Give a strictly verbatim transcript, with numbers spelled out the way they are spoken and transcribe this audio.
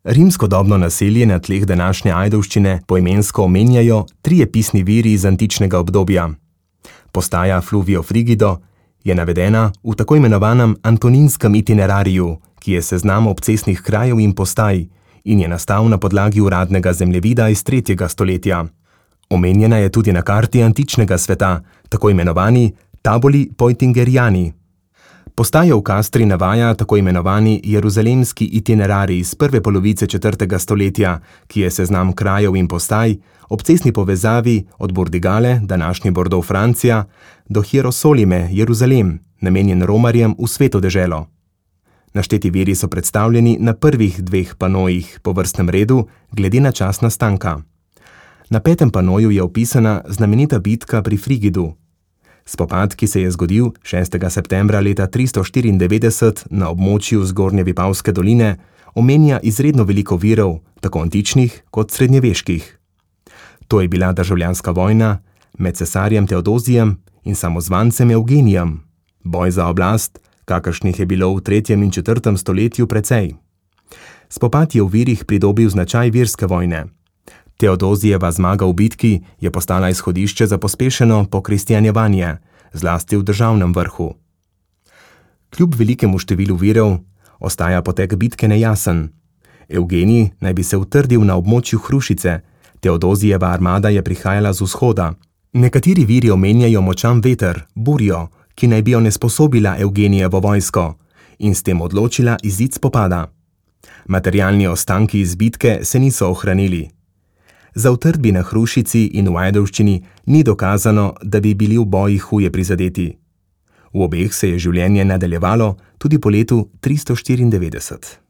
Rimskodobno naselje na tleh današnje Ajdovščine poimensko omenjajo trije pisni viri iz antičnega obdobja. Postaja Fluvio Frigido je navedena v tako imenovanem Antoninskem itinerariju, ki je seznam obcestnih krajev in postaj in je nastal na podlagi uradnega zemljevida iz tretjega stoletja. Omenjena je tudi na karti antičnega sveta, tako imenovani Tabuli Poitingeriani. Postajo v Kastri navaja tako imenovani Jeruzalemski itinerarij iz prve polovice četrtega stoletja, ki je seznam krajev in postaj ob cestni povezavi od Burdigale, današnji Bordeaux, Francija, do Hierosolime, Jeruzalem, namenjen romarjem v sveto deželo. Našteti viri so predstavljeni na prvih dveh panojih po vrstnem redu glede na čas nastanka. Na petem panoju je opisana znamenita bitka pri Frigidu. Spopad, ki se je zgodil šestega septembra leta tristo štiriindevetdeset na območju Zgornje Vipavske doline, omenja izredno veliko virov, tako antičnih kot srednjeveških. To je bila državljanska vojna med cesarjem Teodozijem in samozvancem Evgenijem, boj za oblast, kakršnih je bilo v tretjem in četrtem stoletju precej. Spopad je v virih pridobil značaj verske vojne. Teodozijeva zmaga v bitki je postala izhodišče za pospešeno pokristjanjevanje, zlasti v državnem vrhu. Kljub velikemu številu virov ostaja potek bitke nejasen. Evgenij naj bi se utrdil na območju Hrušice, Teodozijeva armada je prihajala z vzhoda. Nekateri viri omenjajo močan veter, burjo, ki naj bi onesposobila Evgenijevo vojsko in s tem odločila izid spopada. Materialni ostanki iz bitke se niso ohranili. Za utrdbi na Hrušici in v Ajdovščini ni dokazano, da bi bili v bojih huje prizadeti. V obeh se je življenje nadaljevalo tudi po letu tristo štiriindevetdeset.